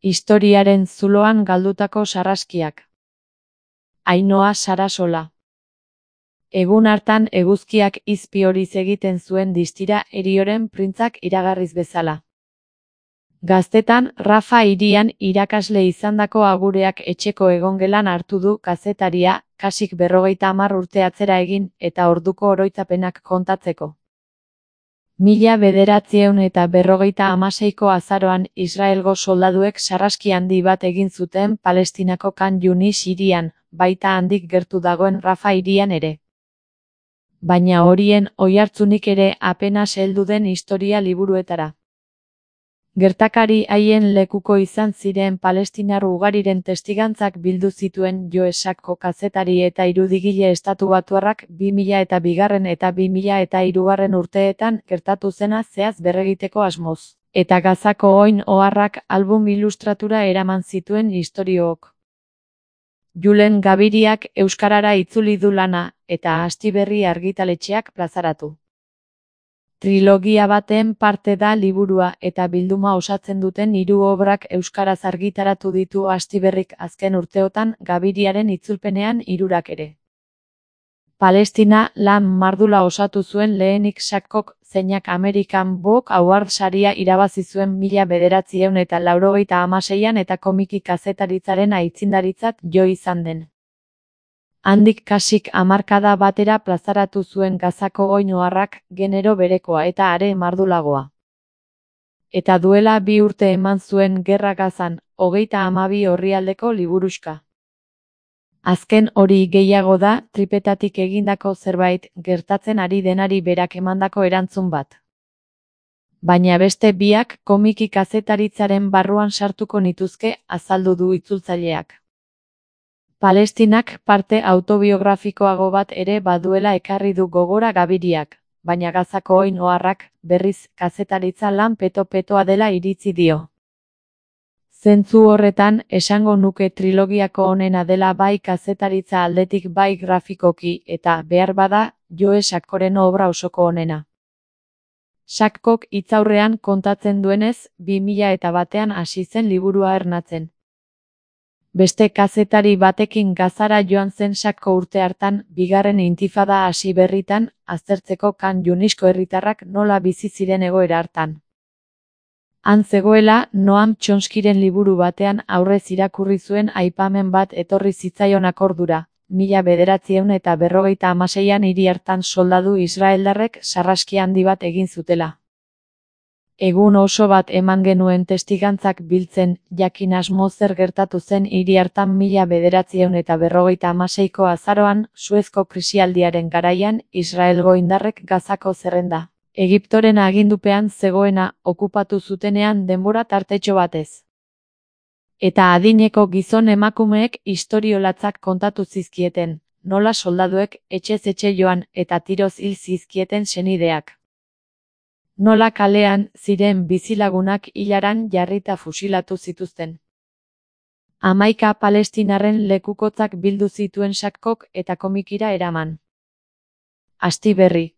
Historiaren zuloan galdutako sarraskiak. Ainhoa Sarasola. Egun hartan eguzkiak izpi horiz egiten zuen distira Herioren printzak iragarriz bezala. Gaztetan, Rafa hirian irakasle izandako agureak etxeko egongelan hartu du kazetaria, kasik 50 urte atzera egin eta orduko oroitzapenak kontatzeko. 1956ko azaroan Israelgo soldaduek sarraski handi bat egin zuten Palestinako Khan Yunis hirian, baita handik gertu dagoen Rafa hirian ere. Baina horien oihartzunik ere apenas heldu den historia liburuetara. Gertakari haien lekuko izan ziren palestinar ugariren testigantzak bildu zituen Joe Sacco kazetari eta irudigile estatubatuarrak 2002 eta 2003 urteetan gertatu zena zehaz berregiteko asmoz. Eta Gazako oin oharrak album ilustratura eraman zituen istoriook. Julen Gabiriak euskarara itzuli du lana, eta Astiberri argitaletxeak plazaratu. Trilogia baten parte da liburua eta bilduma osatzen duten 3 obrak euskaraz argitaratu ditu Astiberrik azken urteotan Gabiriaren itzulpenean 3 ere. Palestina lan mardula osatu zuen lehenik Sackok, zeinak American Book Award saria irabazi zuen 1986an eta komiki kazetaritzaren aitzindaritzat jo izan den. Handik kasik hamarkada batera plazaratu zuen Gazako oin oharrak, genero berekoa eta are mardulagoa. Eta duela 2 urte eman zuen Gerra Gazan, 32 orrialdeko liburuxka. Azken hori gehiago da, tripetatik egindako zerbait, gertatzen ari denari berak emandako erantzun bat. Baina beste biak komiki kazetaritzaren barruan sartuko nituzke, azaldu du itzultzaileak. Palestinak parte autobiografikoago bat ere baduela ekarri du gogora Gabiriak, baina Gazako oin oharrak, berriz, kazetaritza lan peto-petoa dela iritzi dio. Zentzu horretan, esango nuke trilogiako onena dela bai kazetaritza aldetik bai grafikoki eta, behar bada, Joe Saccoren obra osoko onena. Sackok hitzaurrean kontatzen duenez, 2001an hasi zen liburua ernatzen. Beste kazetari batekin Gazara joan zen Sacco urte hartan, bigarren intifada hasi berritan, aztertzeko Khan Yunisko herritarrak nola bizi ziren egoera hartan. Han zegoela, Noam Chomskyren liburu batean aurrez irakurri zuen aipamen bat etorri zitzaion akordura, 1956an hiri hartan soldadu israeldarrek sarraski handi bat egin zutela. Egun oso bat eman genuen testigantzak biltzen, jakin asmo zer gertatu zen hiri hartan 1956ko azaroan, Suezko krisialdiaren garaian, Israelgo indarrek Gazako zerrenda. Egiptoren agindupean zegoena okupatu zutenean denbora tartetxo batez. Eta adineko gizon emakumeek istoriolatzak kontatu zizkieten, nola soldaduek etxez etxe joan eta tiroz hil zizkieten senideak. Nola kalean ziren bizilagunak hilaran jarrita fusilatu zituzten. 11 palestinarren lekukotzak bildu zituen Sackok eta komikira eraman. Astiberri.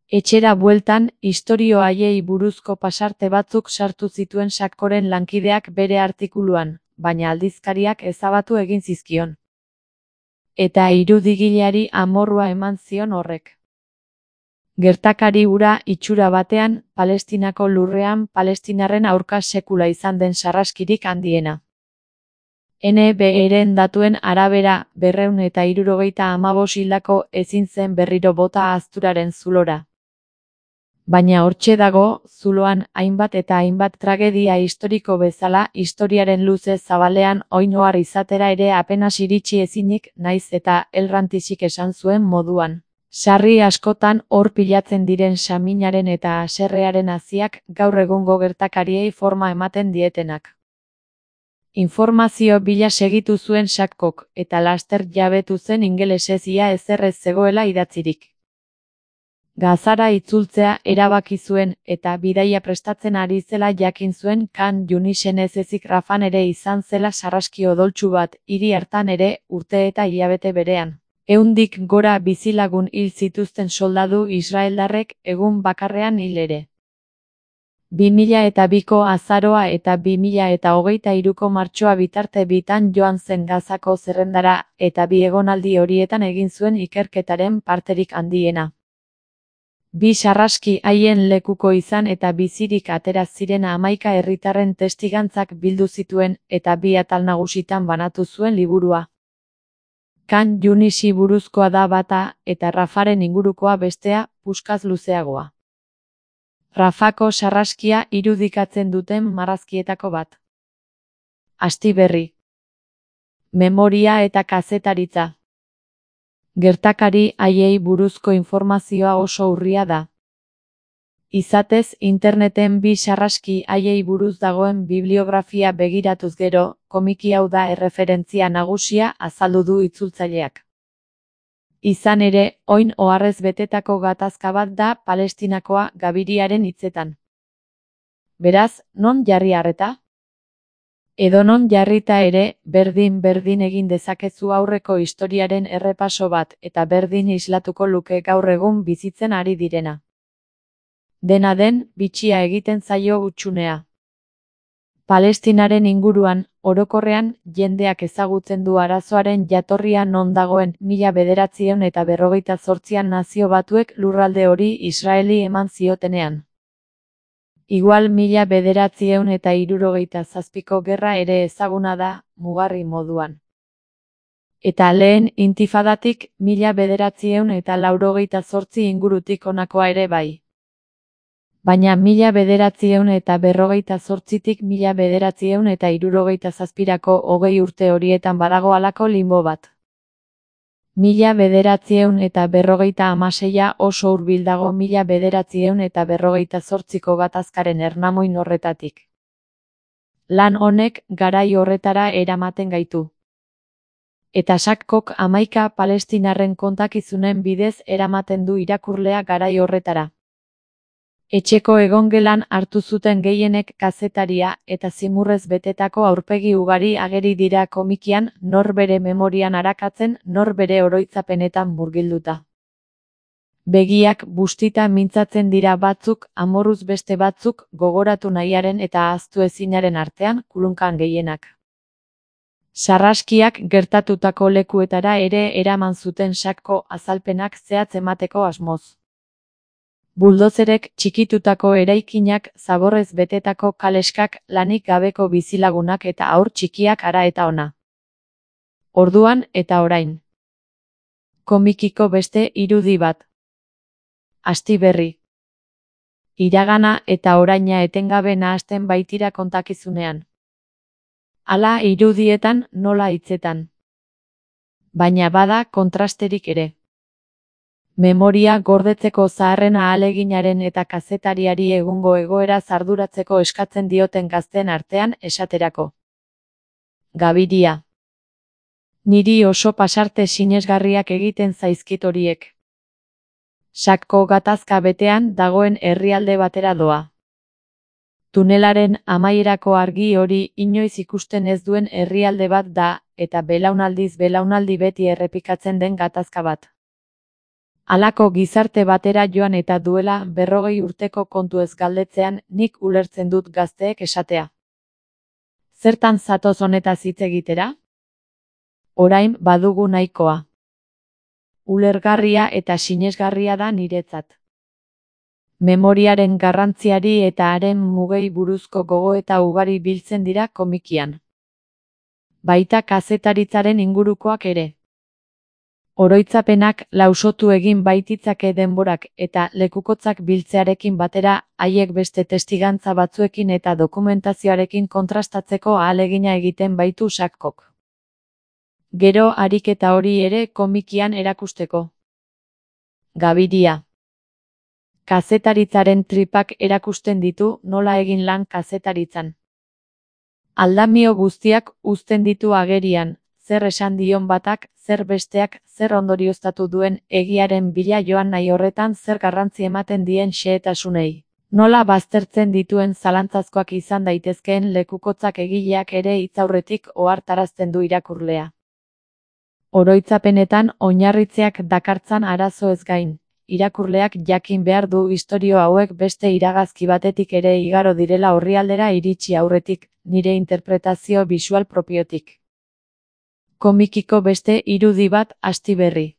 Etxera bueltan, istorio haiei buruzko pasarte batzuk sartu zituen Saccoren lankideak bere artikuluan, baina aldizkariak ezabatu egin zizkion. Eta irudigileari amorrua eman zion horrek. Gertakari hura itxura batean, Palestinako lurrean palestinarren aurka sekula izan den sarraskirik handiena. NBR-en datuen arabera, 275 hildako ezin zen berriro bota azturaren zulora. Baina hortxe dago, zuloan hainbat eta hainbat tragedia historiko bezala, historiaren luze zabalean oin ohar izatera ere apenas iritsi ezinik, naiz eta elrantixik esan zuen moduan. Sarri askotan hor pilatzen diren saminaren eta haserrearen haziak gaur egungo gertakariei forma ematen dietenak. Informazio bila segitu zuen Sackok, eta laster jabetu zen ingelesez ia ezer ez zegoela idatzirik. Gazara itzultzea erabaki zuen eta bidaia prestatzen ari zela jakin zuen Khan Yunisen ez ezik Rafan ere izan zela sarraski odoltsu bat, hiri hartan ere, urte eta hilabete berean. 100 gora bizilagun hil zituzten soldadu israeldarrek egun bakarrean hil ere. 2002ko azaroa eta 2023ko martxoa bitarte bitan joan zen Gazako zerrendara eta bi egonaldi horietan egin zuen ikerketaren parterik handiena. Bi sarraski haien lekuko izan eta bizirik atera ziren 11 herritarren testigantzak bildu zituen eta bi atal nagusitan banatu zuen liburua. Khan Younisi buruzkoa da bata eta Rafaren ingurukoa bestea, puskaz luzeagoa. Rafako sarraskia irudikatzen duten marrazkietako bat. Astiberri. Memoria eta kazetaritza. Gertakari haiei buruzko informazioa oso urria da. Izatez, interneten bi sarraski haiei buruz dagoen bibliografia begiratuz gero, komiki hau da erreferentzia nagusia azaldu du itzultzaileak. Izan ere, oin oharrez betetako gatazka bat da Palestinakoa Gabiriaren hitzetan. Beraz, non jarri arreta? Edonon jarrita ere, berdin egin dezakezu aurreko historiaren errepaso bat eta berdin islatuko luke gaur egun bizitzen ari direna. Dena den, bitxia egiten zaio hutsunea. Palestinaren inguruan, orokorrean, jendeak ezagutzen du arazoaren jatorria non dagoen 1948an Nazio Batuek lurralde hori Israeli eman ziotenean. Igual 1967ko gerra ere ezaguna da, mugarri moduan. Eta lehen intifadatik 1988 ingurutik honakoa ere bai. Baina 1948tik 1967ko 20 urte horietan badago halako limbo bat. 1956a oso hurbil dago 1948ko gatazkaren ernamuin horretatik. Lan honek garai horretara eramaten gaitu. Eta Sakkok 11 palestinarren kontakizunen bidez eramaten du irakurlea garai horretara. Etxeko egongelan hartu zuten gehienek kazetaria eta zimurrez betetako aurpegi ugari ageri dira komikian, nor bere memorian arakatzen, nor bere oroitzapenetan murgilduta. Begiak bustita mintzatzen dira batzuk, amorruz beste batzuk, gogoratu nahiaren eta ahaztu ezinaren artean, kulunkan gehienak. Sarraskiak gertatutako lekuetara ere eraman zuten Sakko azalpenak zehatz emateko asmoz. Buldozerek txikitutako eraikinak, zaborrez betetako kaleskak, lanik gabeko bizilagunak eta haur txikiak hara eta ona. Orduan eta orain. Komikiko beste irudi bat. Astiberri. Iragana eta oraina etengabe nahasten baitira kontakizunean. Hala irudietan nola hitzetan. Baina bada kontrasterik ere. Memoria gordetzeko zaharren ahaleginaren eta kazetariari egungo egoera arduratzeko eskatzen dioten gazten artean esaterako. Gabiria. Niri oso pasarte sinesgarriak egiten zaizkit horiek. Sakko gatazka betean dagoen herrialde batera doa. Tunelaren amaierako argi hori inoiz ikusten ez duen herrialde bat da, eta belaunaldiz belaunaldi beti errepikatzen den gatazka bat. Halako gizarte batera joan eta duela 40 urteko kontu ez galdetzean nik ulertzen dut gazteek esatea. Zertan zatoz honetaz hitz egitera? Orain badugu nahikoa. Ulergarria eta sinesgarria da niretzat. Memoriaren garrantziari eta haren mugei buruzko gogoeta ugari biltzen dira komikian. Baita kazetaritzaren ingurukoak ere. Oroitzapenak lausotu egin baititzake denborak eta lekukotzak biltzearekin batera haiek beste testigantza batzuekin eta dokumentazioarekin kontrastatzeko ahalegina egiten baitu Sakkok. Gero ariketa hori ere komikian erakusteko. Gabiria. Kazetaritzaren tripak erakusten ditu nola egin lan kazetaritzan. Aldamio guztiak uzten ditu agerian, zer esan dion batak, zer besteak, zer ondorioztatu duen egiaren bila joan nahi horretan zer garrantzi ematen dien xehetasunei. Nola baztertzen dituen zalantzazkoak izan daitezkeen lekukotzak egileak ere hitzaurretik ohartarazten du irakurlea. Oroitzapenetan oinarritzeak dakartzan arazo ez gain, irakurleak jakin behar du istorio hauek beste iragazki batetik ere igaro direla orrialdera iritsi aurretik, nire interpretazio bisual propiotik. Komikiko beste irudi bat, Astiberri.